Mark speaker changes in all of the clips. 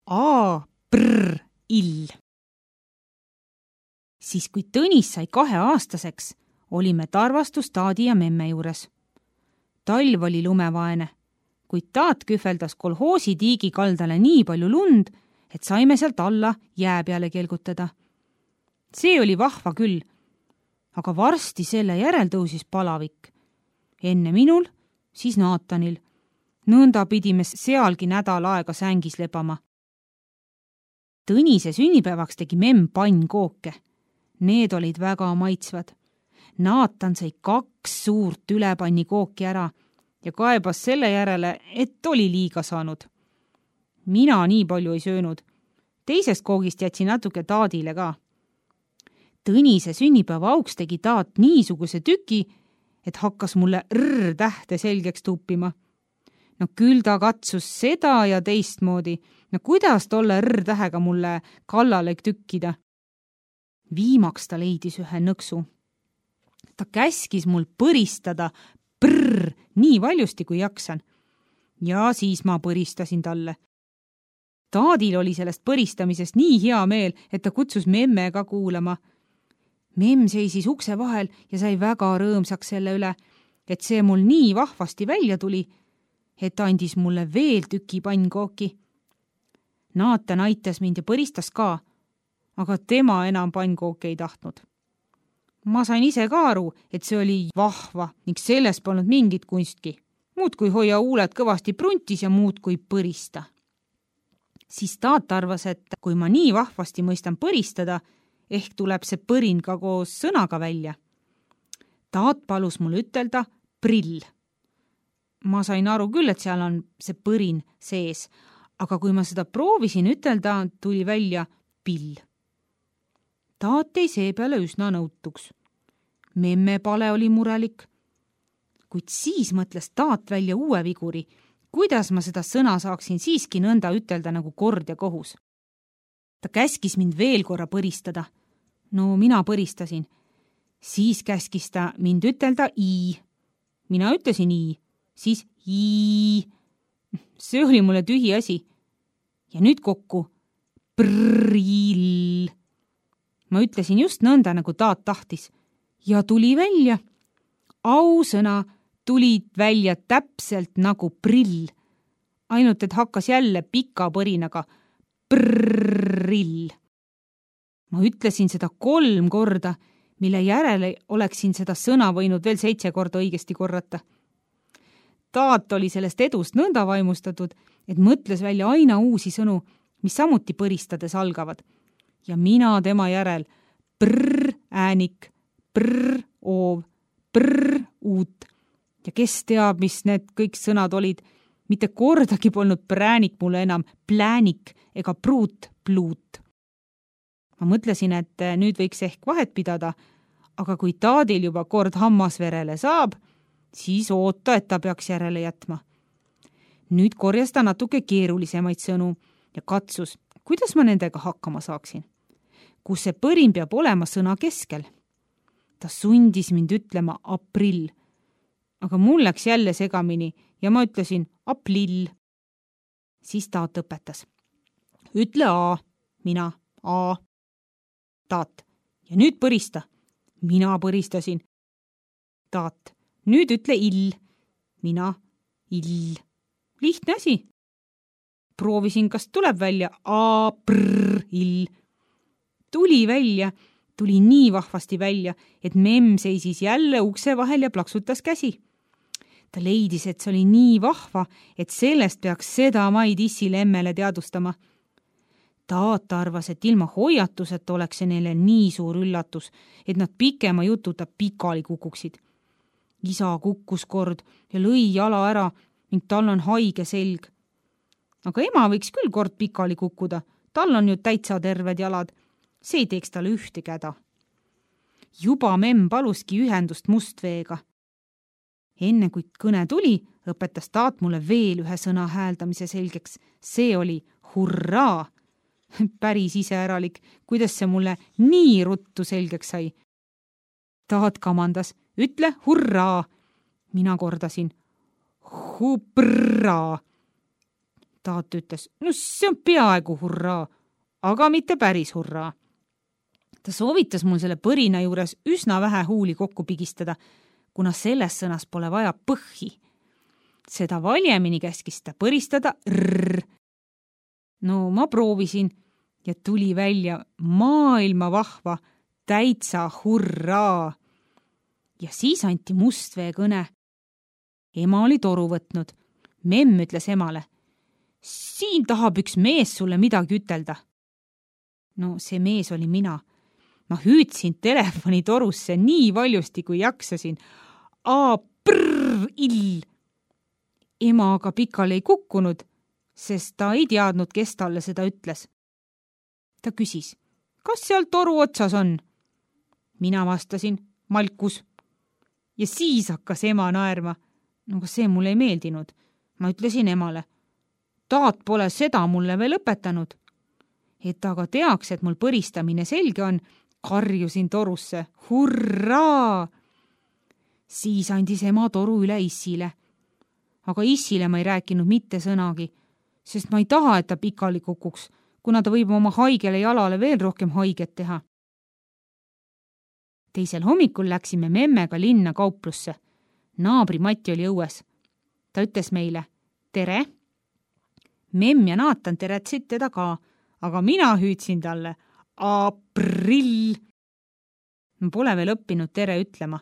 Speaker 1: A-prr-ill. Siis kui Tõnis sai 2-aastaseks, olime Tarvastus taadi ja memme juures. Talv oli lumevaene, kuid taat kühveldas kolhoosi tiigi kaldale nii palju lund, et saime sealt alla jää peale kelgutada. See oli vahva küll, aga varsti selle järel tõusis palavik. Enne minul, siis Naatanil. Nõnda pidime sealgi nädal aega sängis lebama. Tõnise sünnipäevaks tegi memm pannkooke. Need olid väga maitsvad. Naatan sai 2 suurt ülepanni kooki ära ja kaebas selle järele, et oli liiga saanud. Mina nii palju ei söönud. Teisest koogist jätsin natuke taadile ka. Tõnise sünnipäeva auks tegi taat niisuguse tüki, et hakkas mulle R-tähte selgeks tuppima. No küll ta katsus seda ja teistmoodi. No kuidas tolle R-tähega mulle kallale tükkida? Viimaks ta leidis ühe nõksu. Ta käskis mul põristada nii valjusti kui jaksan. Ja siis ma põristasin talle. Taadil oli sellest põristamisest nii hea meel, et ta kutsus memme ka kuulama. Memm seisis ukse vahel ja sai väga rõõmsaks selle üle, et see mul nii vahvasti välja tuli, et andis mulle veel tüki pannkooki. Naatan aitas mind ja põristas ka, aga tema enam pannkooki ei tahtnud. Ma sain ise ka aru, et see oli vahva ning sellest polnud mingit kunstki. Muud kui hoia huuled kõvasti pruntis ja muud kui põrista. Siis taat arvas, et kui ma nii vahvasti mõistan põristada, ehk tuleb see põrin ka koos sõnaga välja. Taat palus mul ütelda prill. Ma sain aru küll, et seal on see põrin sees, aga kui ma seda proovisin ütelda, tuli välja pill. Taat jäi seepeale üsna nõutuks. Memme pale oli murelik, kuid siis mõtles taat välja uue viguri, kuidas ma seda sõna saaksin siiski nõnda ütelda nagu kord ja kohus. Ta käskis mind veel korra põristada. No mina põristasin. Siis käskis ta mind ütelda i. Mina ütlesin i, siis i. See oli mulle tühi asi. Ja nüüd kokku. Prill. Ma ütlesin just nõnda, nagu taat tahtis. Ja tuli välja. Ausõna tuli välja täpselt nagu prill. Ainult, et hakkas jälle pika põrinaga. Prill. Ma ütlesin seda 3 korda, mille järele oleksin seda sõna võinud veel 7 korda õigesti korrata. Taat oli sellest edust nõnda vaimustatud, et mõtles välja aina uusi sõnu, mis samuti põristades algavad. Ja mina tema järel äänik, oov, uut. Ja kes teab, mis need kõik sõnad olid, mitte kordagi polnud präänik mulle enam pläänik ega pruut. Ma mõtlesin, et nüüd võiks ehk vahet pidada, aga kui taadil juba kord hammasverele saab, siis oota, et ta peaks järele jätma. Nüüd korjas ta natuke keerulisemaid sõnu ja katsus, kuidas ma nendega hakkama saaksin. Kus see põrin peab olema sõna keskel. Ta sundis mind ütlema aprill, aga mul läks jälle segamini ja ma ütlesin aplill. Siis taat õpetas. Ütle A, mina A. Taat, ja nüüd põrista. Mina põristasin. Taat, nüüd ütle ill. Mina ill. Lihtne asi. Proovisin, kas tuleb välja ill. Tuli välja, tuli nii vahvasti välja, et memm seisis jälle ukse vahel ja plaksutas käsi. Ta leidis, et see oli nii vahva, et sellest peaks seda maid issile emmele teadvustama. Taat arvas, et ilma hoiatuseta oleks see neile nii suur üllatus, et nad pikema jututa pikali kukuksid. Isa kukkus kord ja lõi jala ära ning tal on haige selg. Aga ema võiks küll kord pikali kukkuda, tal on ju täitsa terved jalad. See ei teeks talle ühte käda. Juba memm paluski ühendust mustveega. Enne kui kõne tuli, õpetas taat mulle veel ühe sõna hääldamise selgeks. See oli hurraa. Päris iseäralik, kuidas see mulle nii ruttu selgeks sai. Taat kamandas, ütle hurraa. Mina kordasin, huprraa. Taat ütles, no see on peaaegu hurraa, aga mitte päris hurraa. Ta soovitas mul selle põrina juures üsna vähe huuli kokku pigistada, kuna selles sõnas pole vaja põhhi. Seda valjemini käskis ta põristada rrr. No ma proovisin ja tuli välja maailma vahva täitsa hurraa. Ja siis anti Mustvee kõne. Ema oli toru võtnud. Memm ütles emale, siin tahab üks mees sulle midagi ütelda. No see mees oli mina. Ma hüüdsin telefoni torusse nii valjusti, kui jaksasin. Ill. Ema aga pikali ei kukkunud, sest ta ei teadnud, kes talle seda ütles. Ta küsis, kas seal toru otsas on? Mina vastasin, Malkus. Ja siis hakkas ema naerma. No aga see mulle ei meeldinud. Ma ütlesin emale, Taat pole seda mulle veel õpetanud. Et aga teaks, et mul põristamine selge on, karjusin torusse. Hurraa! Siis andis ema toru üle Issile. Aga Issile ma ei rääkinud mitte sõnagi, sest ma ei taha, et ta pikali kukuks, kuna ta võib oma haigele jalale veel rohkem haiget teha. Teisel hommikul läksime memmega linna kauplusse. Naabri Mati oli õues. Ta ütles meile, tere. Memm ja Naatan teretsid teda ka, aga mina hüüdsin talle, aprill. Ma pole veel õppinud tere ütlema.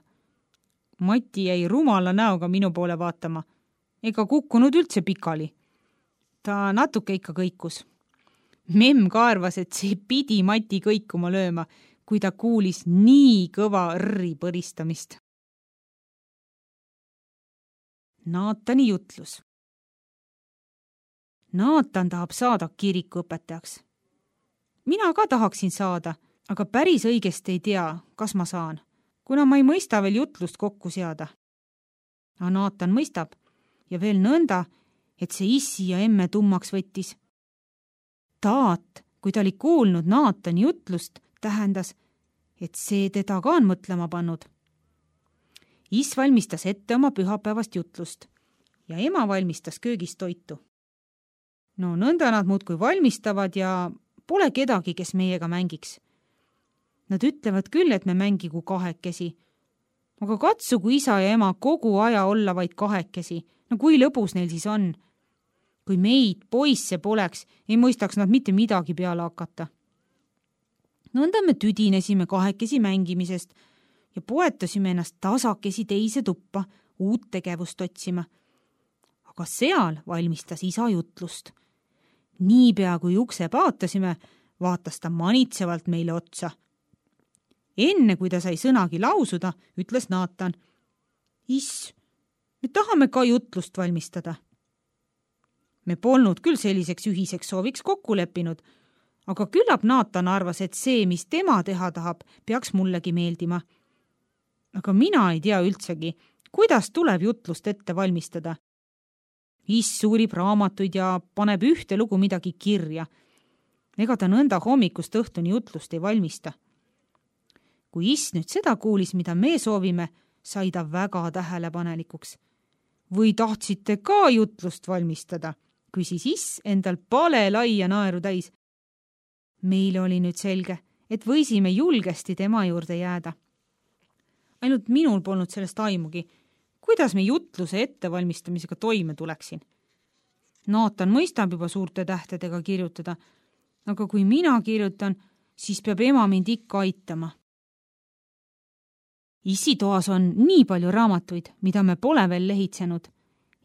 Speaker 1: Mati jäi rumala näoga minu poole vaatama, ega kukkunud üldse pikali. Ta natuke ikka kõikus. Memm ka arvas, et see pidi Mati kõikuma lööma, kui ta kuulis nii kõva rri põristamist. Naatani jutlus. Naatan tahab saada kirikuõpetajaks. Mina ka tahaksin saada, aga päris õigesti ei tea, kas ma saan, kuna ma ei mõista veel jutlust kokku seada. Aga Naatan mõistab ja veel nõnda, et see issi ja emme tummaks võttis. Taat, kui ta oli kuulnud Naatani jutlust, tähendas, et see teda ka on mõtlema pannud. Iss valmistas ette oma pühapäevast jutlust ja ema valmistas köögis toitu. No nõnda nad muudkui valmistavad ja pole kedagi, kes meiega mängiks. Nad ütlevad küll, et me mängigu kahekesi, aga katsugu isa ja ema kogu aja olla vaid kahekesi. No kui lõbus neil siis on? Kui meid, poisse poleks, ei mõistaks nad mitte midagi peale hakata. Nõnda me tüdinesime kahekesi mängimisest ja poetasime ennast tasakesi teise tuppa uut tegevust otsima. Aga seal valmistas isa jutlust. Niipea kui ukse paatasime, vaatas ta manitsevalt meile otsa. Enne kui ta sai sõnagi lausuda, ütles Naatan, Iss, me tahame ka jutlust valmistada. Me polnud küll selliseks ühiseks sooviks kokku leppinud, aga küllap Naatan arvas, et see, mis tema teha tahab, peaks mullegi meeldima. Aga mina ei tea üldsegi, kuidas tuleb jutlust ette valmistada. Iss uurib raamatuid ja paneb ühte lugu midagi kirja. Ega ta nõnda hommikust õhtuni jutlust ei valmista. Kui Iss nüüd seda kuulis, mida me soovime, sai ta väga tähelepanelikuks. Või tahtsite ka jutlust valmistada? Küsis Iss endal pale laia naeru täis. Meile oli nüüd selge, et võisime julgesti tema juurde jääda. Ainult minul polnud sellest aimugi, kuidas me jutluse ettevalmistamisega toime tuleksin. Naatan mõistab juba suurte tähtedega kirjutada, aga kui mina kirjutan, siis peab ema mind ikka aitama. Issi toas on nii palju raamatuid, mida me pole veel lehitsenud,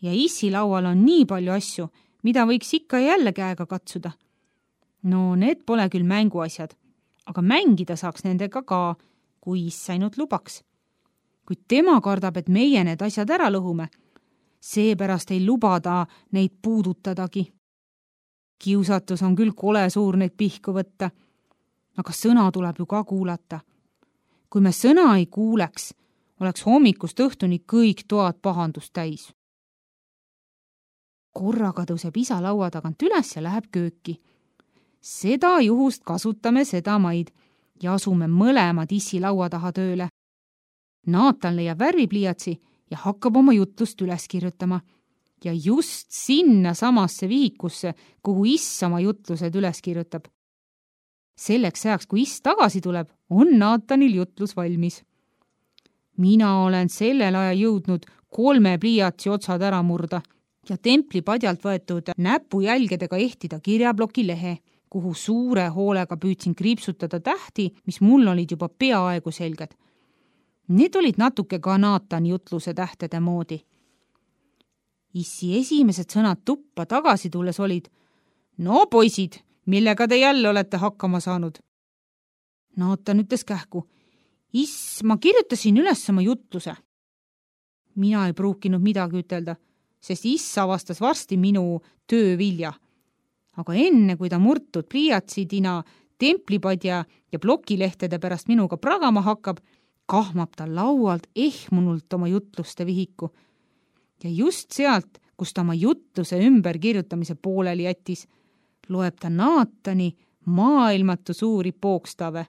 Speaker 1: ja Issi laual on nii palju asju, mida võiks ikka jälle käega katsuda. No need pole küll mänguasjad, aga mängida saaks nendega ka, kui Iss ainult lubaks. Kuid tema kardab, et meie need asjad ära lõhume. Seepärast ei lubada neid puudutadagi. Kiusatus on küll kole suur neid pihku võtta, aga sõna tuleb ju ka kuulata. Kui me sõna ei kuuleks, oleks hommikust õhtuni kõik toad pahandust täis. Korraga tõuseb isa laua tagant üles ja läheb kööki. Seda juhust kasutame seda maid ja asume mõlemad Issi laua taha tööle. Naatan leiab värvipliiatsi ja hakkab oma jutlust üles kirjutama. ja just sinna samasse vihikusse, kuhu Iss oma jutlused üles kirjutab. Selleks ajaks, kui Iss tagasi tuleb, on Naatanil jutlus valmis. Mina olen sellel ajal jõudnud 3 pliiatsi otsad ära murda ja templi padjalt võetud näpujälgedega ehtida kirjaploki lehe, kuhu suure hoolega püüdsin kriipsutada tähti, mis mul olid juba peaaegu selged. Need olid natuke ka Naatani jutluse tähtede moodi. Issi esimesed sõnad tuppa tagasi tulles olid: "No poisid, millega te jälle olete hakkama saanud?" Naatan ütles kähku: "Iss, ma kirjutasin üles oma jutluse." Mina ei pruukinud midagi ütelda, sest Iss avastas varsti minu töö vilja. Aga enne, kui ta murtud pliiatsidina templipadja ja plokilehtede pärast minuga pragama hakkab, kahmab ta laualt ehmunult oma jutluste vihiku. Ja just sealt, kus ta oma jutluse ümberkirjutamise pooleli jättis, loeb ta Naatani maailmatu suuri pookstave.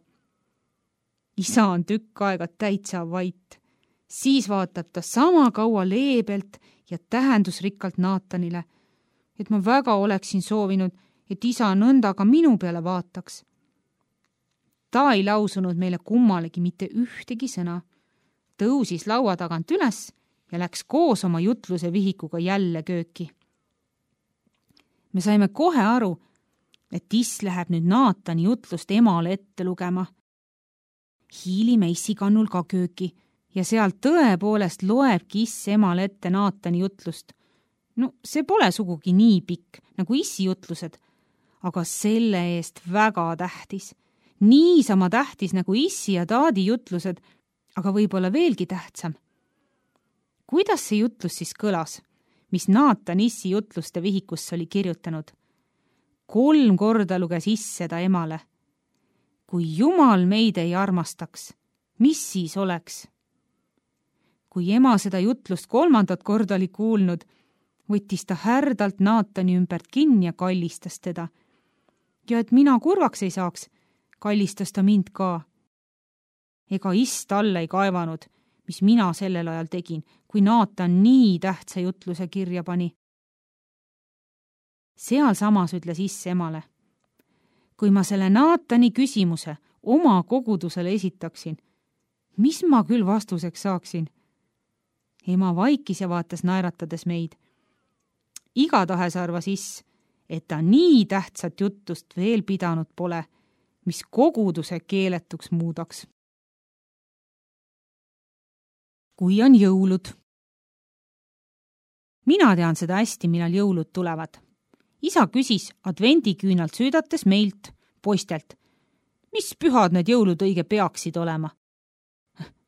Speaker 1: Isa on tükk aega täitsa vait. Siis vaatab ta sama kaua leebelt ja tähendusrikkalt Naatanile, et ma väga oleksin soovinud, et isa nõnda ka minu peale vaataks. Ta ei lausunud meile kummalegi mitte ühtegi sõna, tõusis laua tagant üles ja läks koos oma jutluse vihikuga jälle kööki. Me saime kohe aru, et Iss läheb nüüd Naatani jutlust emale ette lugema. Hiilime Issi kannul ka kööki ja seal tõepoolest loebki Iss emale ette Naatani jutlust. No see pole sugugi nii pikk nagu Issi jutlused, aga selle eest väga tähtis. Niisama tähtis nagu Issi ja Taadi jutlused, aga võib-olla veelgi tähtsam. Kuidas see jutlus siis kõlas, mis Naatan Issi jutluste vihikusse oli kirjutanud? 3 korda luges Iss seda emale. Kui Jumal meid ei armastaks, mis siis oleks? Kui ema seda jutlust 3. korda oli kuulnud, võttis ta härdalt Naatani ümbert kinni ja kallistas teda. Ja et mina kurvaks ei saaks, kallistas ta mind ka. Ega Iss talle ei kaevanud, mis mina sellel ajal tegin, kui Naatan nii tähtsa jutluse kirja pani. Seal samas ütles Iss emale: kui ma selle Naatani küsimuse oma kogudusele esitaksin, mis ma küll vastuseks saaksin? Ema vaikis ja vaatas naeratades meid. Igatahes arvas Iss, et ta nii tähtsat jutlust veel pidanud pole, mis koguduse keeletuks muudaks. Kui on jõulud. Mina tean seda hästi, millal jõulud tulevad. Isa küsis advendiküünalt süüdates meilt, poistelt, mis pühad need jõulud õige peaksid olema.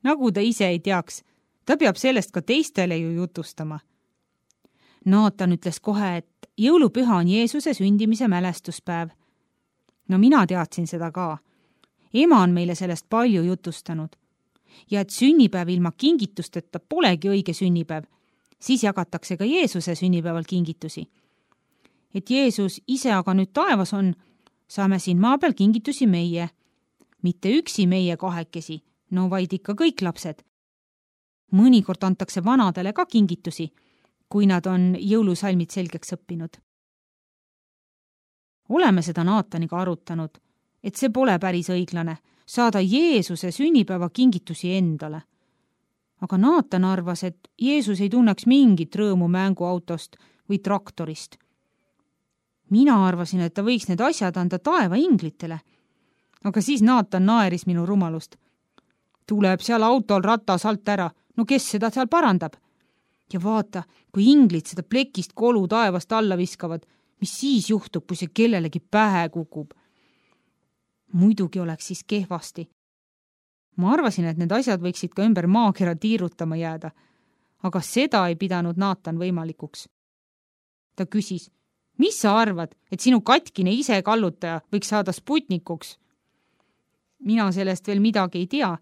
Speaker 1: Nagu ta ise ei teaks, ta peab sellest ka teistele ju jutustama. Naatan ütles kohe, et jõulupüha on Jeesuse sündimise mälestuspäev. No mina teadsin seda ka. Ema on meile sellest palju jutustanud. Ja et sünnipäev ilma kingitusteta polegi õige sünnipäev, siis jagatakse ka Jeesuse sünnipäeval kingitusi. Et Jeesus ise aga nüüd taevas on, saame siin maa peal kingitusi meie. Mitte üksi meie 2, no vaid ikka kõik lapsed. Mõnikord antakse vanadele ka kingitusi, kui nad on jõulusalmid selgeks õppinud. Oleme seda Naataniga arutanud, et see pole päris õiglane, saada Jeesuse sünnipäeva kingitusi endale. Aga Naatan arvas, et Jeesus ei tunneks mingit rõõmu mänguautost või traktorist. Mina arvasin, et ta võiks need asjad anda taeva inglitele. Aga siis Naatan naeris minu rumalust. Tuleb seal autol ratas alt ära, no kes seda seal parandab? Ja vaata, kui inglid seda plekist kolu taevast alla viskavad, mis siis juhtub, kui see kellelegi pähe kukub? Muidugi oleks siis kehvasti. Ma arvasin, et need asjad võiksid ka ümber maakera tiirutama jääda, aga seda ei pidanud Naatan võimalikuks. Ta küsis, mis sa arvad, et sinu katkine ise kallutaja võiks saada Sputnikuks? Mina sellest veel midagi ei tea,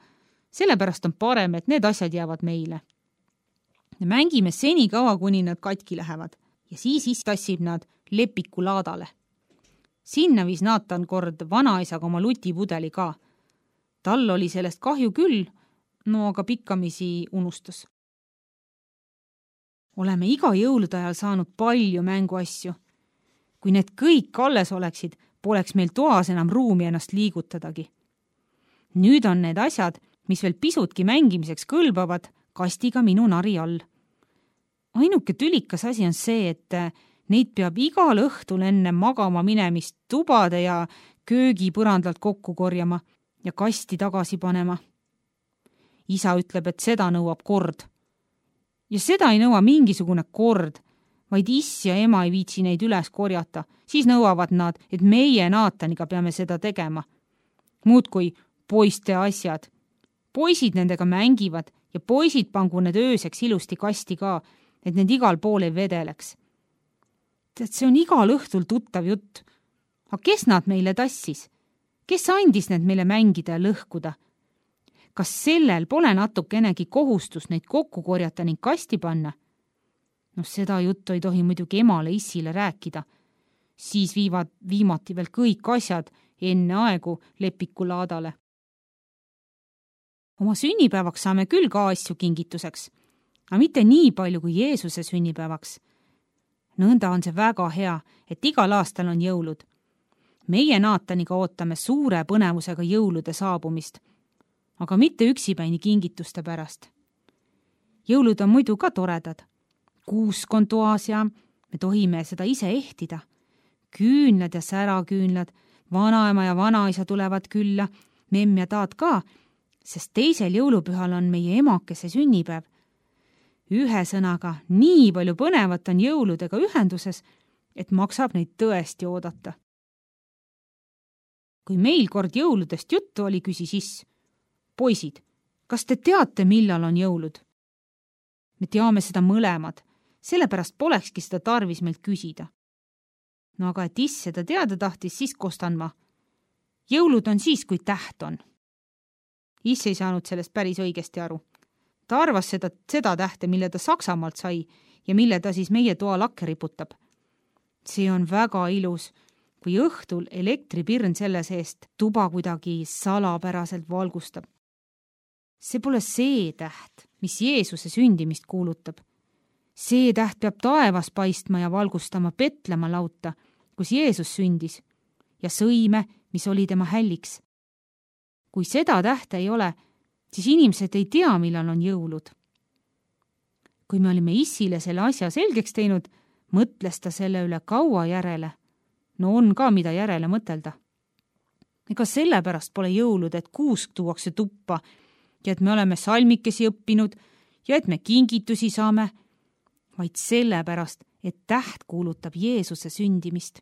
Speaker 1: sellepärast on parem, et need asjad jäävad meile. Mängime seni kaua, kuni nad katki lähevad ja siis tassib nad lepiku laadale. Sinna viis Naatan kord vanaisaga oma lutipudeli ka. Tal oli sellest kahju küll, no aga pikkamisi unustas. oleme iga jõulude ajal saanud palju mänguasju. Kui need kõik alles oleksid, poleks meil toas enam ruumi ennast liigutadagi. Nüüd on need asjad, mis veel pisutki mängimiseks kõlbavad, kastiga minu nari all. Ainuke tülikas asi on see, et neid peab igal õhtul enne magama minemist tubade ja köögi põrandalt kokku korjama ja kasti tagasi panema. Isa ütleb, et seda nõuab kord. Ja seda ei nõua mingisugune kord, vaid iss ja ema ei viitsi neid üles korjata. Siis nõuavad nad, et meie Naataniga peame seda tegema. Muudkui poiste asjad. Poisid nendega mängivad ja poisid pangu need ööseks ilusti kasti ka, et need igal pool ei vedeleks. Tead, see on igal õhtul tuttav jutt. Aga kes nad meile tassis? Kes andis need meile mängida ja lõhkuda? Kas sellel pole natukenegi kohustus neid kokku korjata ning kasti panna? No seda juttu ei tohi muidugi emale issile rääkida. Siis viivad viimati veel kõik asjad enne aegu lepikulaadale. Oma sünnipäevaks saame küll ka asju kingituseks, aga mitte nii palju kui Jeesuse sünnipäevaks. Nõnda on see väga hea, et igal aastal on jõulud. Meie Naataniga ootame suure põnevusega jõulude saabumist, aga mitte üksipäini kingituste pärast. Jõulud on muidu ka toredad. Kuusk on toas ja me tohime seda ise ehtida. Küünlad ja säraküünlad, vanaema ja vanaisa tulevad külla, memm ja taat ka, sest teisel jõulupühal on meie emakese sünnipäev. Ühesõnaga, nii palju põnevat on jõuludega ühenduses, et maksab neid tõesti oodata. Kui meil kord jõuludest juttu oli, küsis iss: poisid, kas te teate, millal on jõulud? Me teame seda mõlemad, sellepärast polekski seda tarvis meilt küsida. No aga et iss seda teada tahtis, siis kostan ma: jõulud on siis, kui täht on. Iss ei saanud sellest päris õigesti aru. Ta arvas seda tähte, mille ta Saksamaalt sai ja mille ta siis meie toa lakke riputab. See on väga ilus, kui õhtul elektripirn selle seest tuba kuidagi salapäraselt valgustab. See pole see täht, mis Jeesuse sündimist kuulutab. See täht peab taevas paistma ja valgustama Petlemma lauta, kus Jeesus sündis, ja sõime, mis oli tema hälliks. Kui seda tähte ei ole, siis inimesed ei tea, millal on jõulud. Kui me olime issile selle asja selgeks teinud, mõtles ta selle üle kaua järele. No on ka, mida järele mõtelda. Ega sellepärast pole jõulud, et kuusk tuuakse tuppa ja et me oleme salmikesi õppinud ja et me kingitusi saame, vaid sellepärast, et täht kuulutab Jeesuse sündimist.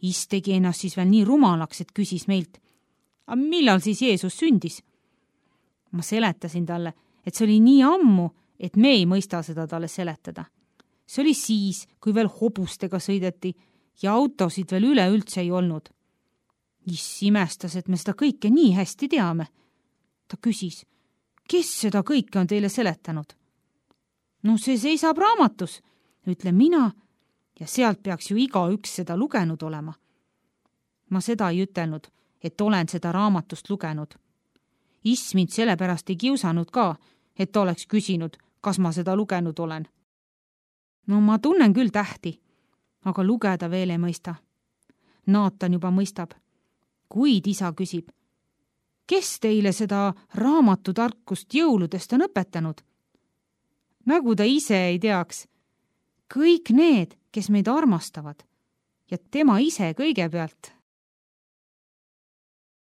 Speaker 1: Iss tegi ennast siis veel nii rumalaks, et küsis meilt: aga millal siis Jeesus sündis? Ma seletasin talle, et see oli nii ammu, et me ei mõista seda talle seletada. See oli siis, kui veel hobustega sõideti ja autosid veel üleüldse ei olnud. Iss imestas, et me seda kõike nii hästi teame. Ta küsis: kes seda kõike on teile seletanud? No see seisab raamatus, ütlen mina, ja sealt peaks ju igaüks seda lugenud olema. Ma seda ei ütelnud, et olen seda raamatust lugenud. Iss mind sellepärast ei kiusanud ka, et ta oleks küsinud, kas ma seda lugenud olen. No ma tunnen küll tähti, aga lugeda veel ei mõista. Naatan juba mõistab. Kuid isa küsib: kes teile seda raamatutarkust jõuludest on õpetanud? Nagu ta ise ei teaks. Kõik need, kes meid armastavad ja tema ise kõigepealt.